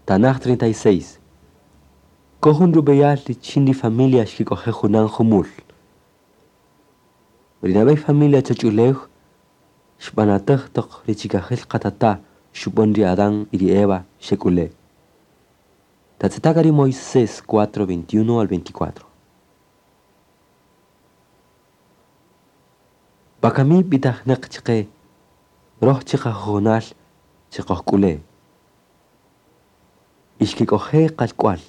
Tanaj 36. Kojun rub'eyal richin ri familia xkik'oje' junan jumul. Ri nab'ey familia choch'ulew xb'anatäj toq ri chikajil qatata' xub'än ri Adán y ri Eva xek'ule'. Tatz'eta' k'a ri Moisés 4, 21 al 24. Wakami b'itajnäq chqe röj chiqajujunal chiqojk'ule'. Y xkik'oje' qalk'wal.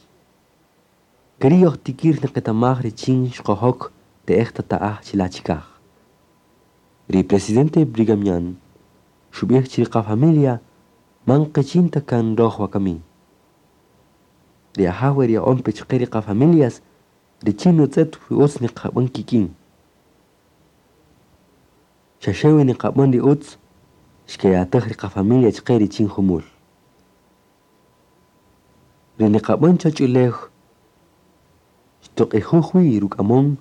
Ke ri' yojtikïr niqetamaj richin xqojok te'ej tata'aj chila' chikaj. Ri presidente Brigham Young xub'ij chi ri qafamilia man qichin ta kan röj wakami. Ri Ajaw erya'on pe chqe ri qafamilias richin nutz'ët wi utz niqab'än kik'in. Xa xe wi niqab'än ri utz, xkeyatäj ri qafamilia chqe richin jumul. Ri niqab'än choch'ulew xtuq'ijuj wi ruk'amon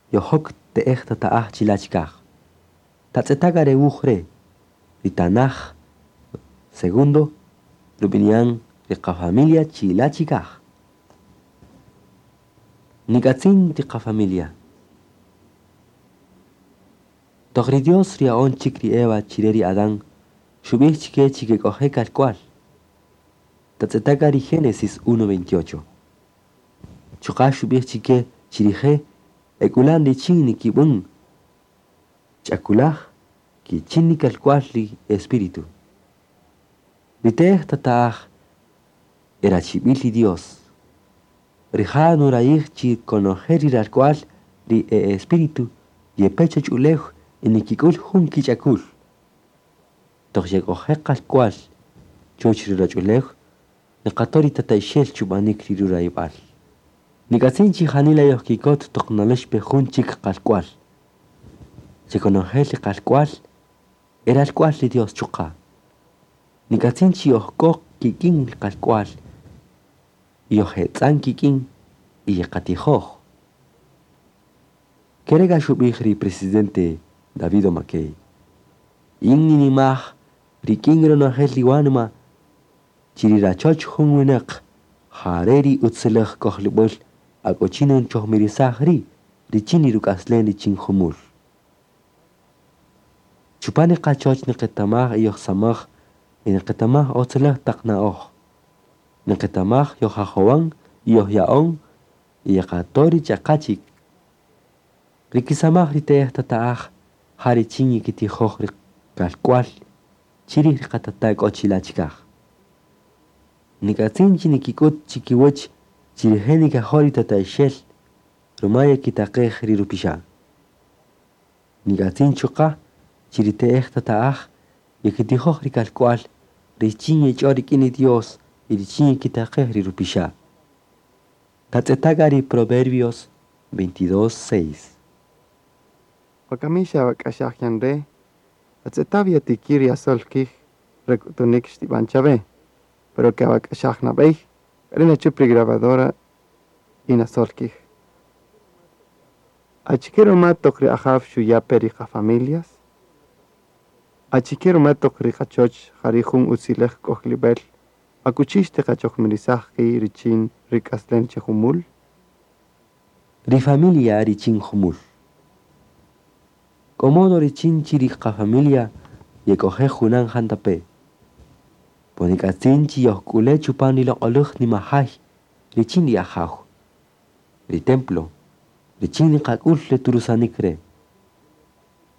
yojok te'ej tata'aj chila' chikaj. Tatz'eta' k'a re wuj re', ri tanaj segundo rub'ini'an ri qafamilia chila' chikaj. Nik'atzin ri qafamilia. Toq ri Dios rya'on chik ri Eva chire ri Adán, xub'ij chke chi kek'oje' kalk'wal. Tatz'eta' k'a ri Génesis 1:28. Chuqa' xub'ij chke chi rije' ek'ulan richin nikib'än ch'akulaj kichin nikalk'wal ri espíritu. Ri te'ej tata'aj erachib'il ri Dios. Rija' nurayij chi konojel ri ralk'wal ri e espíritu yepe choch'ulew y nikik'ül jun kich'akul. Toq yek'oje' qalk'wal chuwäch ri ruwach'ulew, niqato' ri tata'ixel chub'anik ri rurayb'al. Nik'atzin chi janila yojkikot toq nalex pe jun chik qalk'wal. Chekonojel ri qalk'wal e ralk'wal ri Dios chuqa'. Nik'atzin chi yojk'o kik'in ri qalk'wal, yojetz'an kik'in y yeqatijoj. Ke re' k'a xub'ij ri presidente David O. McKay. In ninimaj rik'in ronojel ri wanima chi ri rachoch jun winäq jare' ri utziläj k'ojlib'äl ak'ochi nchojmirisaj ri' richin ri ruk'aslen richin jumul. Chupan ri qachoch niqetamaj y yojsamaj y niqetamaj utziläj taq na'oj. Niqetamaj yojajowan y yojya'on y yeqato' ri ch'aqa chik. Ri kisamaj ri te'ej tata'aj ja richin yekitijoj ri kalk'wal chirij ri qatata' k'o chila' chikaj. Nik'atzin chi nikik'üt chikiwäch chi rije' nikajo' ri tata'ixel ruma yekitaqej ri rupixa'. Nik'atzin chuqa' chi ri te'ej tata'aj yekitijoj ri kalk'wal richin yech'o rik'in ri Dios y richin yekitaqej ri rupixa'. Tatz'eta' k'a ri Proverbios 22:6. Wakami xawak'axaj yan re', atz'eta' yatikïr yasöl kij re k'utunïk xtib'an chawe, pero ke awak'axaj nab'ey, k'a ri' nachüp ri grabadora y nasöl kij. Achike ruma toq ri Ajaw xuya' pe ri qafamilias? Achike ruma toq ri qachoch ja ri' jun utziläj k'ojlib'äl akuchi xtiqachojmirisaj qi' richin ri k'aslem che jumul? Ri familia richin jumul. K'o modo richin chi ri qafamilia yek'oje' junan jantape'. Po nik'atzin chi yojk'ule' chupan ri loq'oläj nimajay richin ri Ajaw, ri templo, richin niqak'ül re turusanik re'.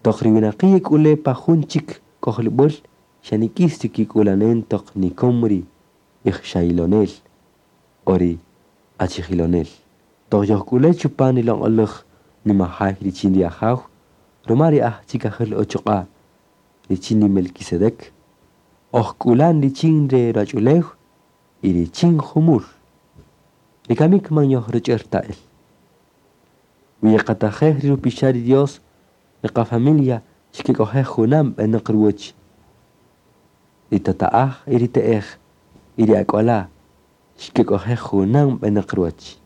Toq ri winaqi' yek'ule' pa jun chik k'ojlib'äl xa nik'is ri kik'ulanen toq nikom ri ixchajilonel o ri achijilonel. Toq yojk'ule' chupan ri loq'oläj nimajay richin ri Ajaw, ruma ri aj chikajil uchuq'a' richin ri Melquisedec, ojk'ulan richin re ruwach'ulew y richin jumul. Ri kamik man yojruch'ër ta el. Wi yeqatajej ri rupixa' ri Dios, ri qafamilia xkek'oje' junan b'enäq ruwäch. Ri tata'aj y ri te'ej y ri ak'wala' xkek'oje' junan b'enäq ruwäch.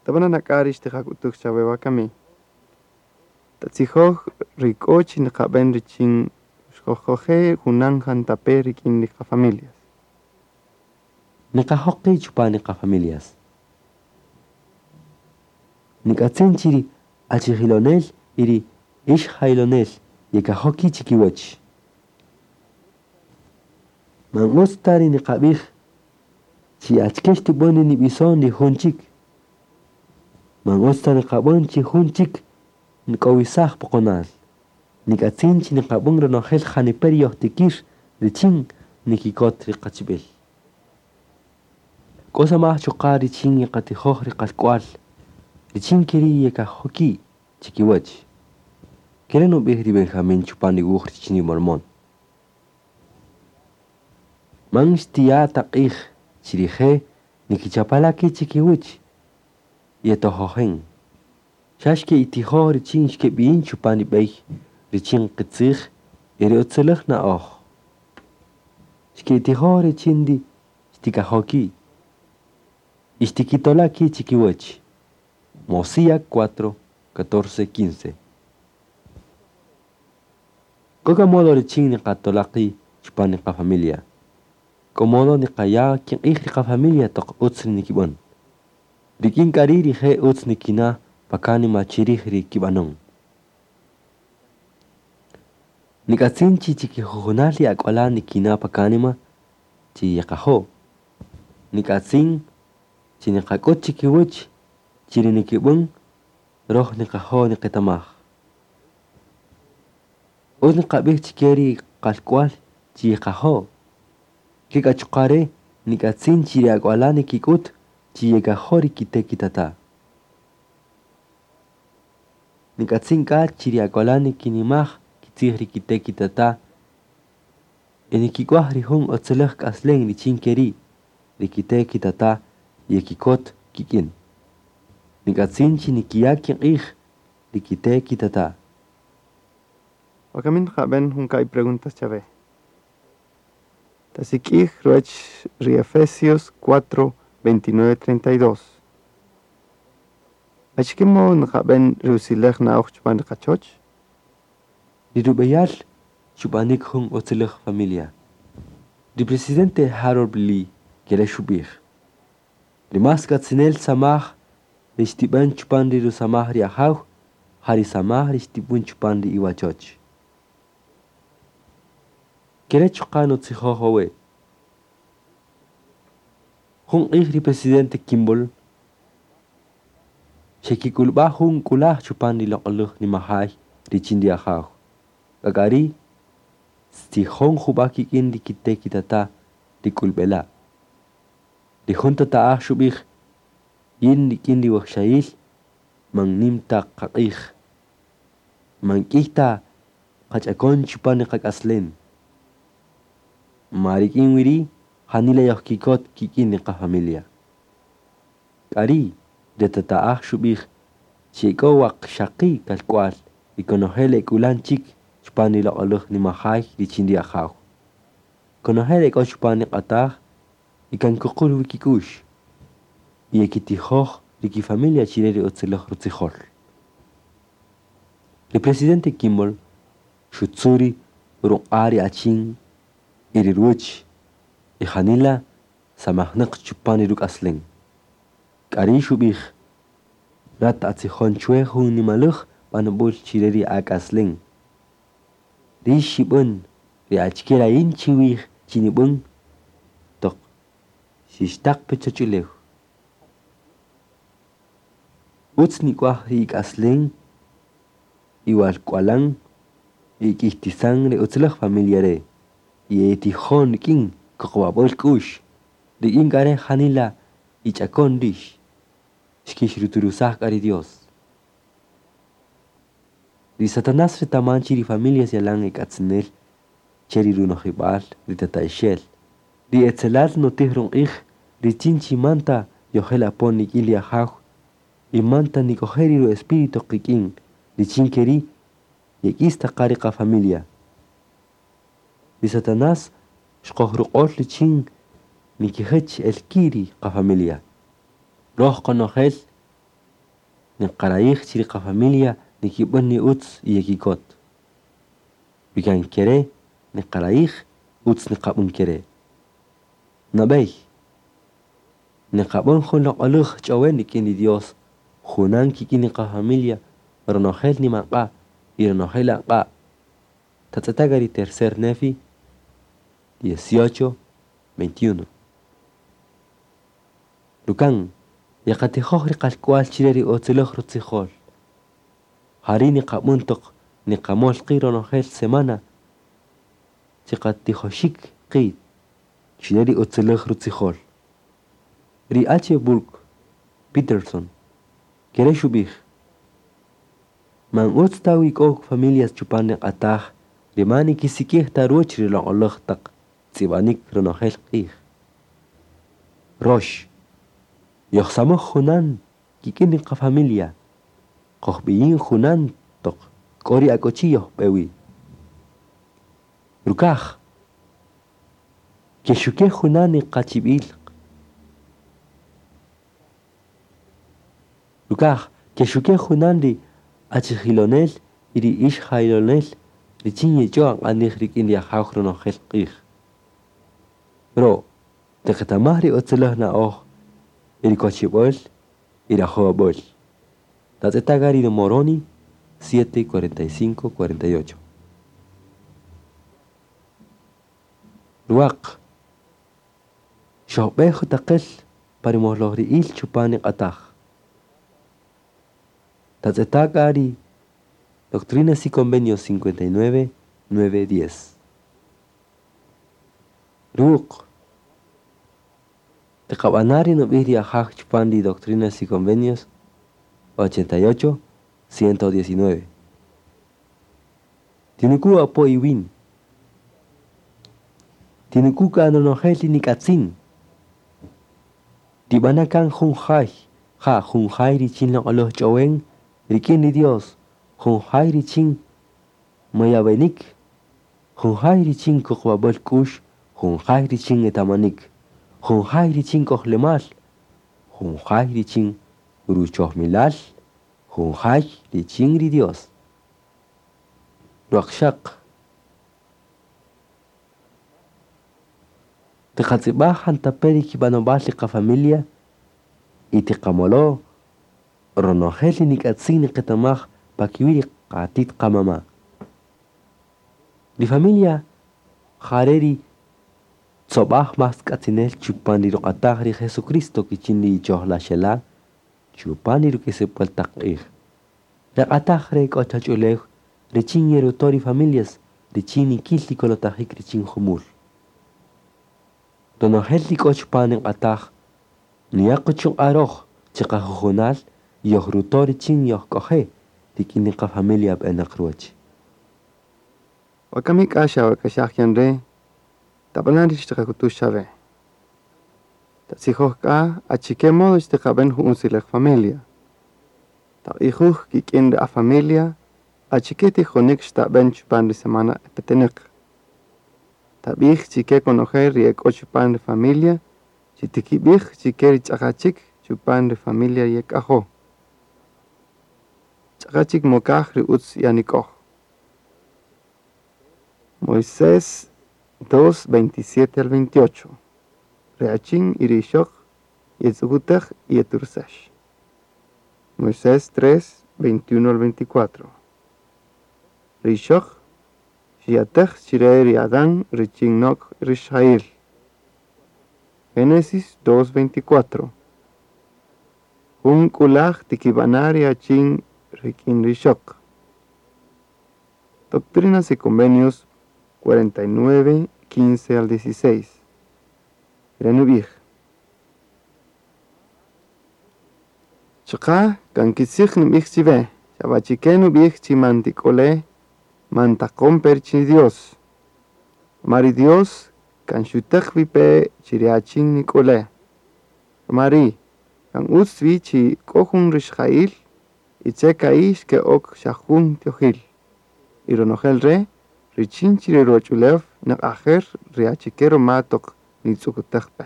Tab'ana' nak'a ri xtiqak'utuj chawe wakami. Tatzijoj ri k'o chi niqab'än richin xqojk'oje' junan jantape' rik'in ri qafamilias. Niqajo' qi' chupan ri qafamilias. Nik'atzin chi ri achijilonel y ri ixjaylonel yekajo' ki' chikiwäch. Man utz ta ri niqab'ij chi achike xtib'an ri nib'ison ri jun chik. Man utz ta niqab'än chi jun chik nk'owisaj poqonal. Nik'atzin chi niqab'än ronojel janipe' ri yojtikir richin nikikot ri qachib'il. K'o samaj chuqa' richin yeqatijoj ri qalk'wal, richin ke ri' yekajo' ki' chikiwäch. Ke re' nub'ij ri Benjamín chupan ri wuj richin ri Mormón. Man xtiya' ta q'ij chi rije' nikichapala' ki' chikiwäch yetojojen. Xa xke'itijoj richin xkeb'iyin chupan ri b'ey richin qitzij y ri utziläj na'oj. Xke'itijoj richin ri xtikajo' ki' y xtikitola' ki' chikiwäch. Mosíah 4, 14, 15. K'o k'a modo richin niqatola' qi' chupan ri qafamilia. K'o modo niqaya' kiq'ij ri qafamilia toq utz ri nikib'än. Rik'in k'a ri' rije' utz nikina' pa kánima chirij ri kib'anon. Nik'atzin chi chikijujunal ri ak'wala' nikina' pa kánima chi yeqajo'. Nik'atzin chi niqak'ut chikiwäch chi ri nikib'än röj niqajo' niqetamaj. Utz niqab'ij chike ri qalk'wal chi yeqajo'. Ke k'a chuqa' re' nik'atzin chi ri ak'wala' nikik'ut chi yekajo' ri kite' kitata'. Nik'atzin k'a chi ri ak'wala' nikinimaj kitzij ri kite' kitata' y nikik'waj ri jun utziläj k'aslem richin ke ri' ri kite' kitata' yekikot kik'in. Nik'atzin chi nikiya' kiq'ij ri kite' kitata'. Wakamin nqab'än jun ka'i' preguntas chawe. Tasik'ij ruwäch ri Efesios 4, 29, 32. Achike modo nqab'än ri utziläj na'oj chupan ri qachoch? Ri rub'eyal chub'anik jun utziläj familia. Ri presidente Harold Lee ke re' xub'ij. Ri más k'atzinel samaj ri xtib'än chupan ri rusamaj ri Ajaw, ja ri samaj ri xtib'än chupan ri iwachoch. Ke re' chuqa' nutzijoj wawe'. Jun q'ij ri presidente Kimball xekik'ulb'a' jun k'ulaj chupan ri loq'oläj nimajay richin ri Ajaw. K'a k'a ri' xtzijon jub'a' kik'in ri kite' kitata' ri k'ulb'ela'. Ri jun tata'aj xub'ij yin rik'in ri wajxayil man nim ta qaq'ij. Man k'iy ta qach'akon chupan ri qak'aslem. Ma rik'in wi ri' janila yojkikot kik'in ri qafamilia. K'a ri' ri tata'aj xub'ij chi e k'o waqxaqi' kalk'wal y konojel e k'ulan chik chupan ri loq'oläj nimajay richin ri Ajaw. Konojel e k'o chupan ri q'ataj y kan kuqül wi kik'u'x. Y yekitijoj ri kifamilia chire ri utziläj rutzijol. Ri presidente Kimball xutzu' ri ruq'a' ri achin y ri ruwäch y janila samajnäq chupan ri ruk'aslem. K'a ri' xub'ij rat atzijon chwe jun nimaläj b'anob'äl chire ri ak'aslem. Rïx xib'än ri achike rayin chiwij chi nib'än toq xixtaq pe choch'ulew. Utz nik'waj ri ik'aslem iwalk'walan y ik'iytisan ri utziläj familia re' y etijon rik'in kuqub'ab'äl k'u'x. Rik'in k'a re' janila ich'akon rïx. Xkixruturusaj k'a ri Dios. Ri Satanás retaman chi ri familias yalan ek'atzinel che ri runojib'al ri tata'ixel. Ri etzelal nutij ruq'ij richin chi man ta yojel apon rik'in ri Ajaw y man ta nik'oje' ri ru-espíritu qik'in richin ke ri' yek'is ta qa ri qafamilia. Ri Satanás xqojruq'ol richin nikijäch el ki' ri qafamilia. Röj qonojel niqarayij chi ri qafamilia nikib'än ni utz y yekikot. Wi kan ke re' niqarayij utz niqab'än ke re'. Nab'ey, Niqab'än jun loq'oläj ch'owen rik'in ri Dios, junan kik'in ri qa-familia, ronojel nimaq'a' y ronojel aq'a'. Tatz'eta' k'a ri tercer Nefi, 18, 21. Rukan, yeqatijoj ri qalk'wal chire ri utziläj rutzijol. Jari' niqab'än toq niqamöl qi' ronojel semana chiqatijoxik qi' chire ri utziläj rutzijol. Ri H. Burke Peterson, kere' xub'ij: Man utz ta wi k'o familias chupan ri q'ataj ri man nikisik'ij ta ruwäch ri loq'oläj taq tz'ib'anik ronojel q'ij. Rox, yojsamaj junan kik'in ri qa-familia, qojb'iyin junan toq k'o ri akuchi yojb'e wi. Rukaj, kexuke' junan ri qachib'il. Rukaj, kexuke' junan ri achijilonel y ri ixjaylonel richin yech'o aq'anij rik'in ri Ajaw ronojel q'ij. Ro', tiqetamaj ri utziläj na'oj y ri kochib'äl y rajowab'äl. Tatz'eta' k'a ri Moroni 7, 45, 48. Ruwaq, xojb'e jutaqel pa ri molojri'ïl chupan ri q'ataj. Tatz'eta' k'a ri Doctrinas y Convenios 59, 9, 10. Ruwuq, tiqab'ana' ri nub'ij ri Ajaw chupan ri Doctrinas y Convenios 88, 119. Tinuku' apo iwin. Tinuku' k'a ronojel ri nik'atzin. Tib'ana' kan jun jay, ja jun jay richin loq'oläj ch'owen rik'in ri Dios, jun jay richin mayab'enik, jun jay richin kuqub'ab'äl k'u'x, jun jay richin etamanik, jun jay richin k'ojlemal, jun jay richin ruchojmilal, jun jay richin ri Dios. Ruwaqxaq, tiqatz'ib'aj jantape' ri kib'anob'al ri qa-familia y tiqamolo' ronojel ri nik'atzin niqetamaj pa kiwi' ri qatit qamama'. Ri familia jare' ri tzob'aj más k'atzinel chupan ri ruq'ataj ri Jesucristo kichin ri ichojlaxela' chupan ri ruk'isib'äl taq q'ij. Ri q'ataj re' k'o choch'ulew richin yeruto' ri familias richin nikil ri kolotajik richin jumul. Ronojel ri k'o chupan ri q'ataj nuya' quchuq'a' röj chiqajujunal yojruto' richin yojk'oje' rik'in ri qa-familia b'enäq ruwäch. Wakami k'a xawak'axaj yan re', tab'ana' ri xtiqak'utuj chawe. Tatzijoj k'a achike modo xtiqab'en jun utziläj familia. Taq'ijuj kik'in ri a-familia achike tijonik xtab'en chupan ri semana petenäq. Tab'ij chike konojel ri e k'o chupan ri familia chi tikib'ij chike ri ch'aqa chik chupan ri familia yek'ajo. Ch'aqa chik mokaj ri utz yanik'oj. Moisés 2, 27 al 28. Ri achin y ri ixöq yetz'ukutäj y yetursäx. Moisés 3, 21 al 24. Ri ixöq xiyatäj chire ri Adán richin nok rixjayil. Génesis 2, 24. Jun k'ulaj tikib'ana' ri achin rik'in ri ixöq. Doctrinas y Convenios 49, 15 al 16. Re' nub'ij: Chuqa' kan kitzij nub'ij chiwe, xa b'achike nub'ij chi man tik'ole', man taqon pe richin Dios. Ruma ri Dios kan xutäq wi pe chi ri achin nik'ole'. Ruma ri' kan utz wi chi k'o jun rixjayil y che ka'i' xke'ok xa jun tiojil. Y ronojel re' richin chi ri ruwach'ulew niq'ajer ri achike ruma toq nitz'ukutäj pe.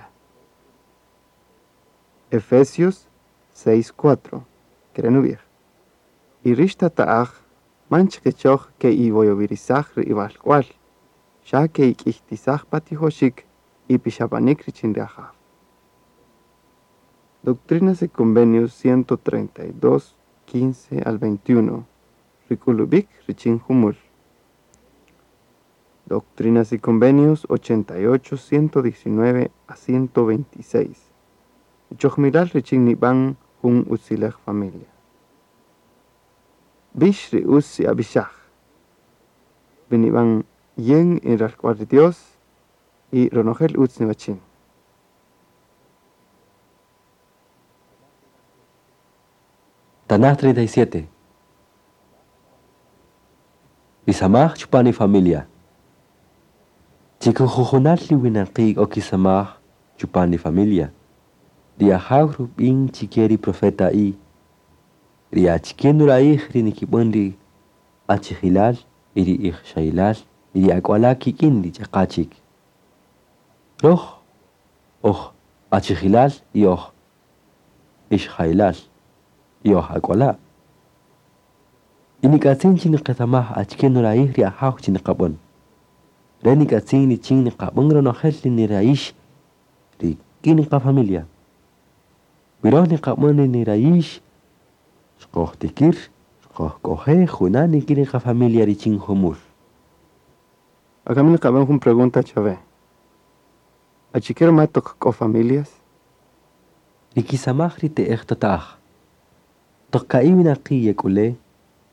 Efesios 6, 4. Ke re' nub'ij: Y rix tata'aj man chikichoj ke'iwoyowirisaj ri iwalk'wal, xa ke'ik'iytisaj pa tijoxik y pixab'anik richin ri Ajaw. Doctrinas y Convenios 132, 15 al 21, ri k'ulub'ik richin jumul. Doctrinas y Convenios 88, 119 a 126, ri chojmilal richin nib'an jun utzilej familia. B'ix ri utz ye'ab'ixaj. Wi nib'an yin in ralk'wal ri Dios y ronojel utz niwachin. Tanaj 37. Ri samaj chupan ri familia. Chi kijujunal ri winaqi' k'o kisamaj chupan ri familia. Ri Ajaw rub'in chike ri profeta y ri achike nurayij ri nikib'än ri achijilal y ri ixjayilal y ri ak'wala' kik'in ri ch'aqa chik. Roj oj achijilal y oj ixjayilal y oj ak'wala'. Y nik'atzin chi niqetamaj achike nurayij ri Ajaw chi niqab'än. Re nik'atzin richin niqab'än ronojel ri nirayix rik'in qafamilia. Wi roj niqab'än ri nirayix xqojtikir xqojk'oje' junan rik'in ri qafamilia richin jumul. Wakami niqab'än jun pregunta chawe. Achike ruma toq k'o familias? Ri kisamaj ri te'ej tata'aj. Toq ka'i' winaqi' yek'ule',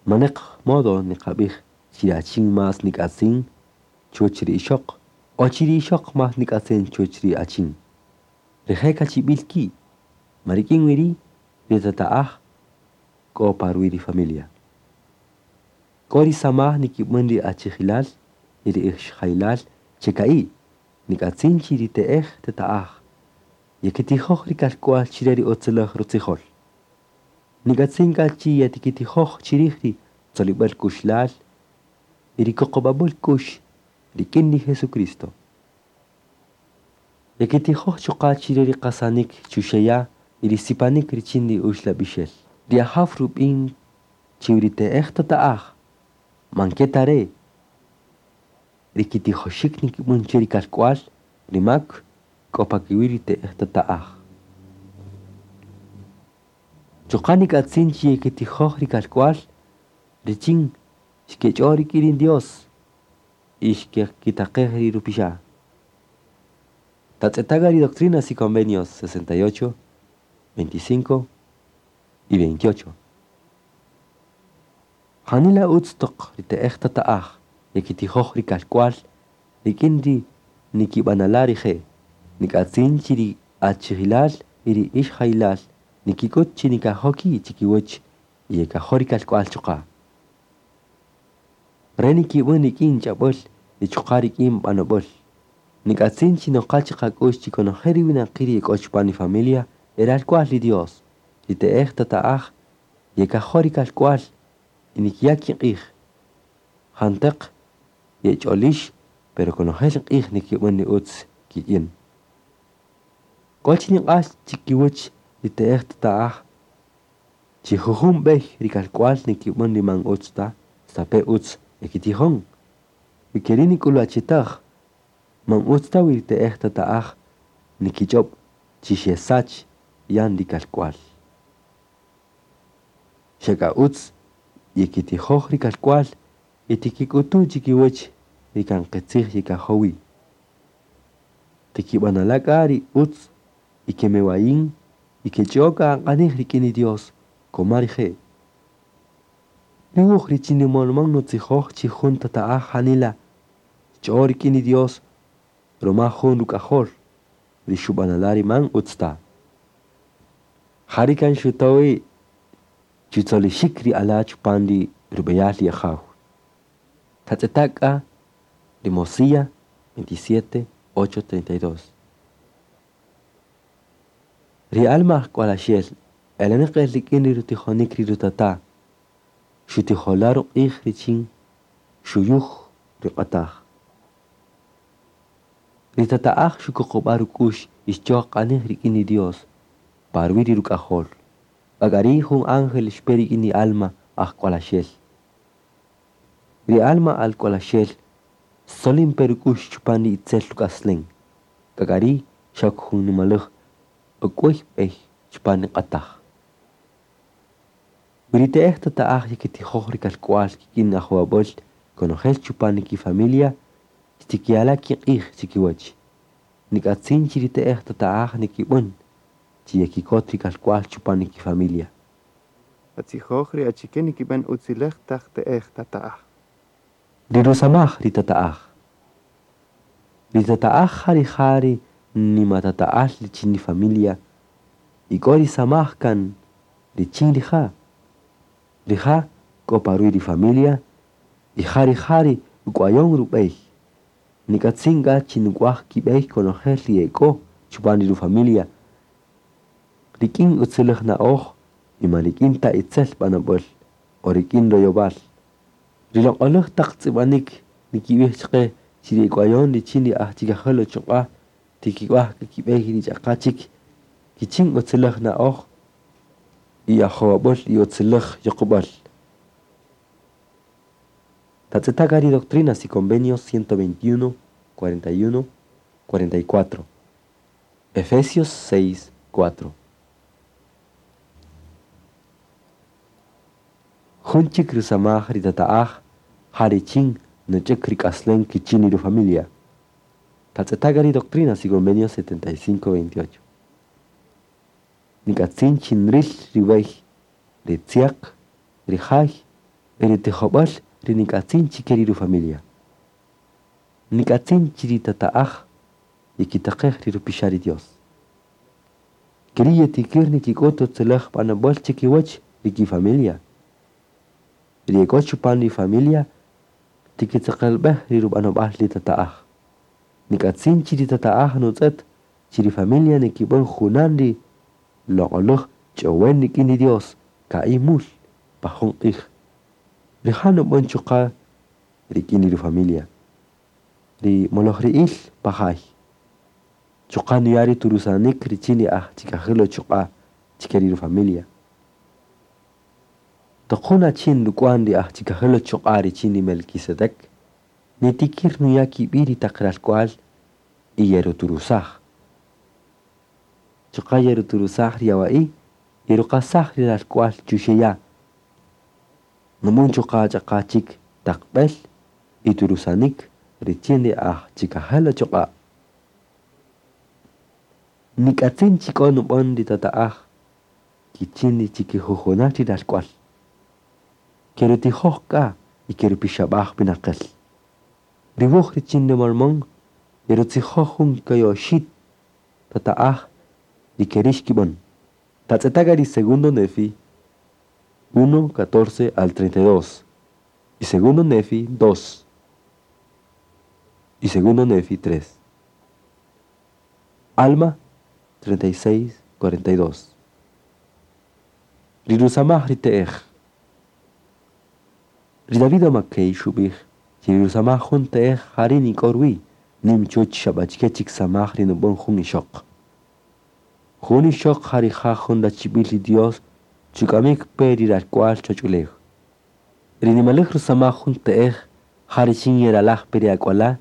maneq modo niqab'ij chi ri achin más nik'atzin chuwäch ri ixöq o chi ri ixöq más nik'atzin chuwäch ri achin. Rije' kachib'il ki', ma rik'in wi ri' ri tata'aj k'o pa ruwi' ri familia. K'o ri samaj nikib'än ri achijilal y ri ixjayilal che ka'i', nik'atzin chi ri te'ej tata'aj yekitijoj ri kalk'wal chire ri utziläj rutzijol. Nik'atzin k'a chi yetikitijoj chirij ri tzolib'äl k'uxlal y ri kuqub'ab'äl k'u'x rik'in ri Jesucristo. Yekitijoj chuqa' chire ri qasanik chuxeya' y ri sipanik richin ri uxlab'ixel. Ri Ajaw rub'in chi ri te'ej tata'aj man ke ta re' ri kitijoxik nikib'än che ri kalk'wal ri mak k'o pa kiwi' ri te'ej tata'aj. Chuqa' nik'atzin chi yekitijoj ri kalk'wal richin xkech'o rik'in ri Dios y xkekitaqej ri rupixa'. Tatz'eta' ri Doctrinas y Convenios 68, 25 y 28. Janila utz toq ri te'ej tata'aj yekitijoj ri kalk'wal rik'in ri nikib'anala' rije'. Nik'atzin chi ri achijilal y ri ixjayilal nikik'ut chi nikajo' ki' chikiwäch y yekajo' ri kalk'wal chuqa'. Re nikib'än rik'in ch'ab'äl y chuqa' rik'in b'anob'äl. Nik'atzin chi noqa chiqak'u'x chi konojel ri winaqi' ri yek'o chupan ri familia e ralk'wal ri Dios. Ri te'ej tata'aj yekajo' ri kalk'wal y nikiya' kiq'ij. Janteq yech'olix pero konojel q'ij nikib'än ri utz kik'in. K'o chi niq'ax chikiwäch ri te'ej tata'aj chi jujun b'ey ri kalk'wal nikib'än ri man utz ta, stape' utz yekitijon. Wi ke ri' nik'ulwachitäj, man utz ta wi ri te'ej tata'aj nikich'ob' chi xesach yan ri kalk'wal. Xa k'a utz yekitijoj ri kalk'wal y tikik'utu chikiwäch ri kan qitzij yekajo' wi. Tikib'anala' k'a ri utz y kemewayin y kech'o k'a q'anij rik'in ri Dios koma rije'. Ri wuj richin ri Mormón nutzijoj chi jun tata'aj janila xch'o rik'in ri Dios ruma jun ruk'ajol ri xub'anala' ri man utz ta. Jari' kan xutowi chutzolixik ri ala' chupan ri rub'eyal ri Ajaw. Tatz'eta' k'a ri Mosía 27, 8, 32. Ri alma ajk'walaxel eleneq el rik'in ri rutijonik ri rutata' xutijola' ruq'ij richin xuyuj ri q'ataj. Ri tata'aj xukuqub'a' ruk'u'x y xch'o q'anij rik'in ri Dios pa ruwi' ri ruk'ajol. K'a ri' jun ángel xpe rik'in ri alma ajk'walaxel. Ri alma alk'walaxel xtzolin pe ruk'u'x chupan ri itzel ruk'aslen. K'a ri' xok jun nimalej uk'wäy b'ey chupan ri q'ataj. Wi ri te'ej tata'aj yekitijoj ri kalk'wal kik'in ajowab'äl konojel chupan ri kifamilia xtikiyala' kiq'ij chikiwäch. Nik'atzin chi ri te'ej tata'aj nikib'än chi yekikot ri kalk'wal chupan ri kifamilia. Tatzijoj ri achike nikib'än utziläj taq te'ej tata'aj. Ri rusamaj ri tata'aj. Ri tata'aj ja rija' ri nimatata'al richin ri familia y k'o ri samaj kan richin rija'. Rija' k'o pa ruwi' ri familia y ja rija' ri uk'wayon rub'ey. Nik'atzin k'a chi nuk'waj kib'ey konojel ri e k'o chupan ri ru-familia rik'in utziläj na'oj y man rik'in ta itzel b'anob'äl o rik'in royowal. Ri loq'oläj taq tz'ib'anik nikib'ij chaqe chi ri uk'wayon richin ri aj chikajel uchuq'a' tikik'waj kib'ey ri ch'aqa chik kichin utziläj na'oj y ajowab'äl y utziläj yuqub'äl. Tatz'eta' k'a ri Doctrinas y Convenios 121, 41, 44. Efesios 6, 4. Jun chik rusamaj ri tata'aj ja richin nuch'äk ri k'aslem kichin ri ru-familia. Tatz'eta' k'a ri Doctrinas y Convenios 75, 28. Nik'atzin chi nril ri wey, ri tzyäq, ri jay y ri tijob'äl ri nik'atzin chike ri ru-familia. Nik'atzin chi ri tata'aj yekitaqej ri rupixa' ri Dios. Ke ri' yetikir nikik'ut utziläj b'anob'äl chikiwäch ri kifamilia. Ri e k'o chupan ri familia tikitzeqelb'ej ri rub'anob'al ri tata'aj. Nik'atzin chi ri tata'aj nutz'ët chi ri familia nikib'än junan ri loq'oläj ch'owen rik'in ri Dios ka'i' mul pa jun q'ij. Rija' nub'än chuqa' rik'in ri ru-familia. Ri molojri'ïl pa jay. Chuqa' nuya' ri turusanik richin ri aj chikajel uchuq'a' chike ri ru-familia. Toq jun achin ruk'wan ri aj chikajel uchuq'a' richin ri Melquisedec, nitikir nuya' kib'i' ri taq ralk'wal y yeruturusaj. Chuqa' yeruturusaj ri yawa'i' yeruqasaj ri ralk'wal chuxe' ya'. Nub'än chuqa' ch'aqa chik taq b'el y turusanik richin ri aj chikajel uchuq'a'. Nik'atzin chi k'o nub'än ri tata'aj kichin ri chikijujunal ri ralk'wal. Kerutijoj k'a y kerupixab'aj winaqel. Ri wuj richin ri Mormón yerutzijoj jun kayoxi' tata'aj ri ke ri' xkib'än. Tatz'eta' k'a ri segundo Nefi 1, 14 al 32 y segundo Nefi 2 y segundo Nefi 3. Alma 36, 42. Ri rusamaj ri te'ej. Ri David McKay xub'ij chi ri rusamaj jun te'ej ja ri' nik'o ruwi' nim chuwäch xab'achike chik samaj ri nub'än jun ixöq. Jun ixöq ja rija' jun rachib'il ri Dios chuk'amik pe ri ralk'wal choch'ulew. Ri nimaläj rusamaj jun te'ej ja richin yeralaj pe ri ak'wala'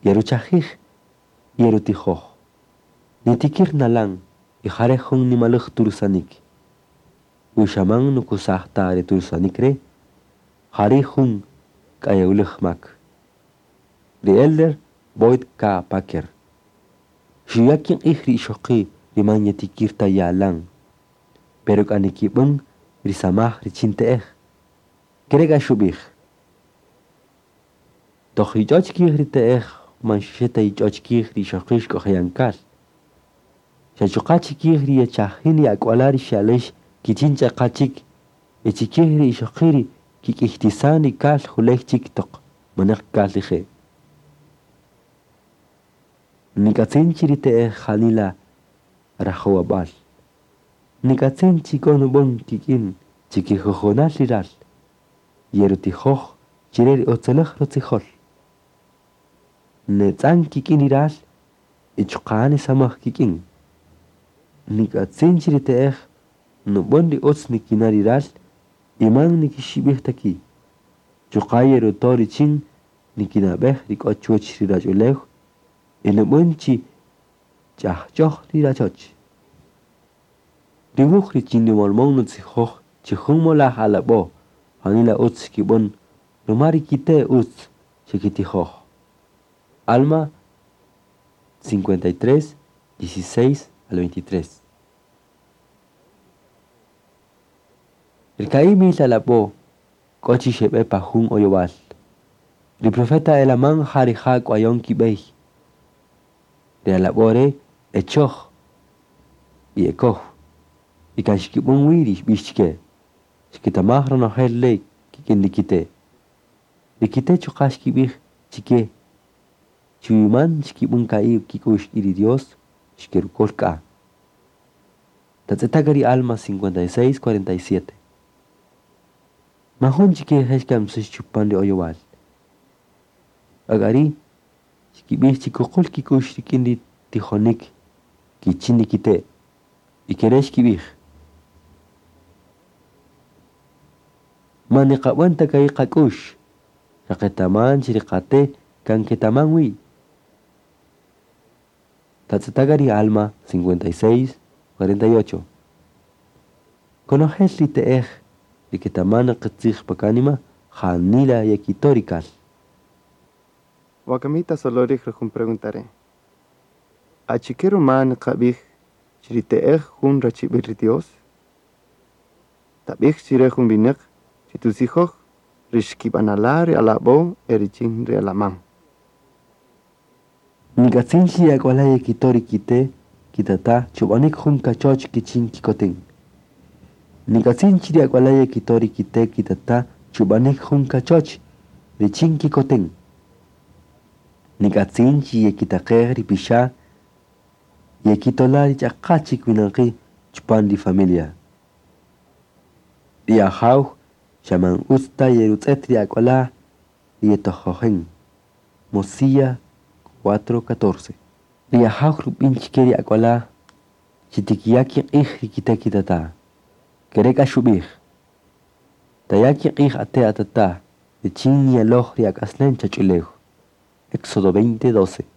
yeruchajij y yerutijoj. Nitikir nalan y ja re' jun nimaläj turusanik. Wi xaman nukusaj ta re turusanik re', ja ri' jun k'ayewläj mak. Ri elder Boyd K. Packer xuya' kiq'ij ri ixoqi' ri man yetikir ta yalan, pero k'a nikib'än ri samaj richin te'ej. Ke re' k'a xub'ij. Toq yich'o chikij ri te'ej man xaxe ta yich'o chikij ri ixoqi' xk'oje' yan kal. Xa chuqa' chikij ri yechajin ri ak'wala' ri xe'alex kichin ch'aqa chik y chikij ri ixoqi' ri kik'iytisan ri kal juley chik toq manaq kal rije'. Nik'atzin chi ri te'ej janila rajowab'äl. Nik'atzin chi k'o nub'än kik'in chikijujunal ri ral. Yerutijoj chire ri utziläj rutzijol. Netz'an kik'in ri ral y chuqa' nisamaj kik'in. Nik'atzin chi ri te'ej nub'än ri utz nikina' ri ral y man nikixib'ij ta ki'. Chuqa' yeruto' richin nikinab'ej ri k'o chuwäch ri rach'ulew y nub'än chi ch'ajch'oj ri rachoch. Ri wuj richin ri Mormón nutzijoj chi jun molaj alab'o' janila utz xkib'än ruma ri kite' utz xekitijoj. Alma 53, 16 al 23. Ri ka'i' mil alab'o' k'o chi xeb'e pa jun oyowal. Ri profeta Helamán ja rija' k'wayon kib'ey. Ri alab'o' re' e choj y e kow. Y kan xkib'än wi ri xb'ix chike. Xkitamaj ronojel le' kik'in ri kite'. Ri kite' chuqa' xkib'ij chike chi wi man xkib'än ka'i' kik'u'x rik'in ri Dios, xkerukol k'a. Tatz'eta' k'a ri Alma 56, 47. Man jun chike rije' xkamsix chupan ri oyowal. K'a ri' xkib'ij chi kuqul kik'u'x rik'in ri tijonik kichin ri kite'. Y kere' xkib'ij. Man niqab'än ta ka'i' qak'u'x, xa qetaman chi ri qate' kan ketaman wi. Tatz'eta' k'a ri Alma 56, 48. Konojel ri te'ej ri ketaman qitzij pa kanima, janila yekito' ri kal. Wakami tasoloj rij jun pregunta re'. Achike ruma niqab'ij chi ri te'ej jun rachib'il ri Dios? Tab'ij chi re jun winäq chi tutzijoj ri xkib'anala' ri alab'o' e richin ri alamán. Nik'atzin chi ri ak'wala' yekito' ri kite' kitata' chub'anik jun kachoch kichin kikoten. Nik'atzin chi ri ak'wala' yekito' ri kite' kitata' chub'anik jun kachoch richin kikoten. Nik'atzin chi yekitaqej ri pixa' yekitola' ri ch'aqa chik winaqi' chupan ri familia. Ri Ajaw xa man utz ta yerutz'et ri ak'wala' ri yetojojen. Mosíah 4:14. Ri Ajaw rub'in chike ri ak'wala' chi tikiya' kiq'ij ri kite' kitata'. Kere' k'a xub'ij. Taya' kiq'ij ate' atata' richin niyaloj ri ak'aslem chach'ulew. Éxodo 20:12.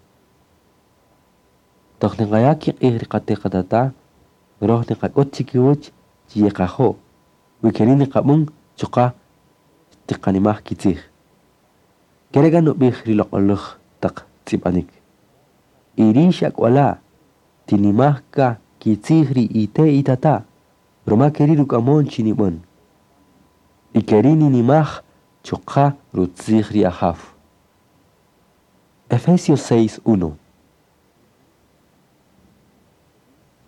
Toq niqaya' kiq'ij ri qate' qatata', roj niqak'ut chikiwäch chi yeqajo'. Wi keri' niqab'än chuqa' tiqanimaj kitzij. Kere' k'a nub'ij ri loq'oläj taq tz'ib'anik. Y rix ak'wala' tinimaj k'a kitzij ri ite' itata', ruma keri' ruk'amon chi nib'än. Y keri' ninimaj chuqa' rutzij ri Ajaw. Efesios 6:1.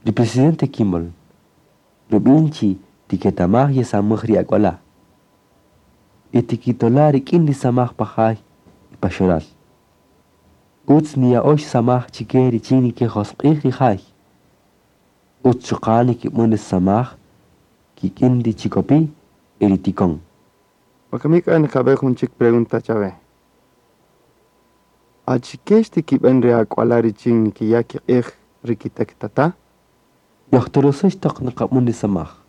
Ri presidente Kimball rub'in chi tiketamaj yesamaj ri ak'wala'. Y tikitola' rik'in ri samaj pa jay y pa xoral. Utz niya'ox samaj chike richin nikijosq'ij ri jay. Utz chuqa' nikib'än ri samaj kik'in ri chikopi' y ri tikon. Wakami k'a niqab'ej jun chik pregunta chawe. Achike xtikib'än ri ak'wala' richin nikiya' kiq'ij ri kite' kitata'? Yojtorosëx toq niqab'än ri samaj.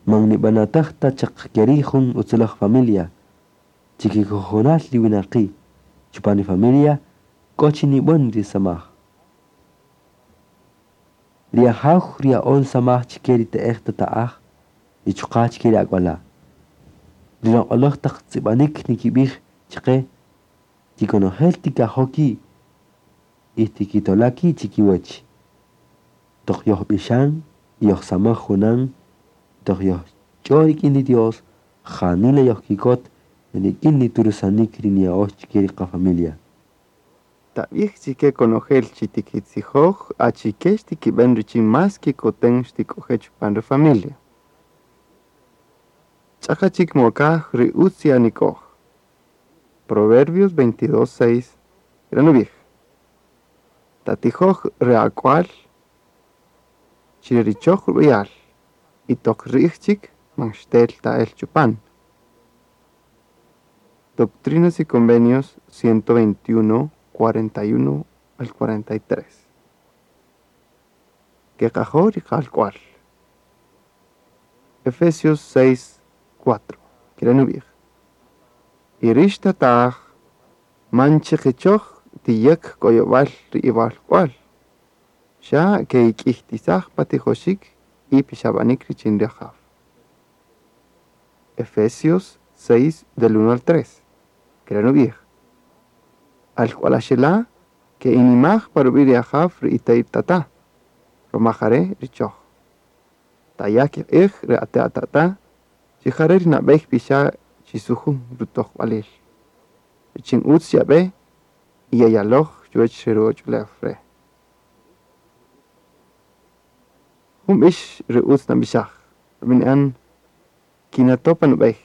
Man nib'anatäj ta chaq keri' jun utziläj familia, chikikojolal ri winaqi', chupan ri familia k'o chi nib'än ri samaj. Ri Ajaw ruya'on samaj chike ri te'ej tata'aj y chuqa' chike ri ak'wala'. Ri loq'oläj taq tz'ib'anik nikib'ij chaqe chi konojel tikajo' ki' y tikitola' ki' chikiwäch. Toq yojb'ixan y yojsamaj junan, toq yojch'o rik'in ri Dios, janila yojkikot rik'in ri turusanik ri niya'ox chike ri qafamilia. Tab'ij chike konojel chi tikitzijoj achike xtikib'än richin más kikoten xtik'oje' chupan ri familia. Ch'aqa chik mokaj ri utz yanik'oj. Proverbios 22:6 kere' nub'ij. Tatijoj ri ak'wal chi ri choj rub'eyal y toq ri'j chik man xtel ta el chupan. Doctrinas y Convenios 121, 41 al 43. Keqajo' ri qalk'wal. Efesios 6, 4. Kere' nub'ij. Y rix tata'aj man chiqichoj tiyäk koyowal ri iwalk'wal. Xa keik'iytisaj pa tijoxik y pixab'anik richin ri Ajaw. Efesios 6 del 1 al 3. Kere' nub'ij: Alk'walaxela' ke'inimaj pa rub'i' ri Ajaw ri ite' itata', ruma jare' ri choj. Taya' kiq'ij ri ate' atata', chi jare' ri nab'ey pixa' chi sujun rutojb'alil. Richin utz yab'e y yayaloj chuwech re ruwach'ulew re'. Jun b'ix ri utz nab'ixaj, rub'ini'an Kinato' pa nub'ey.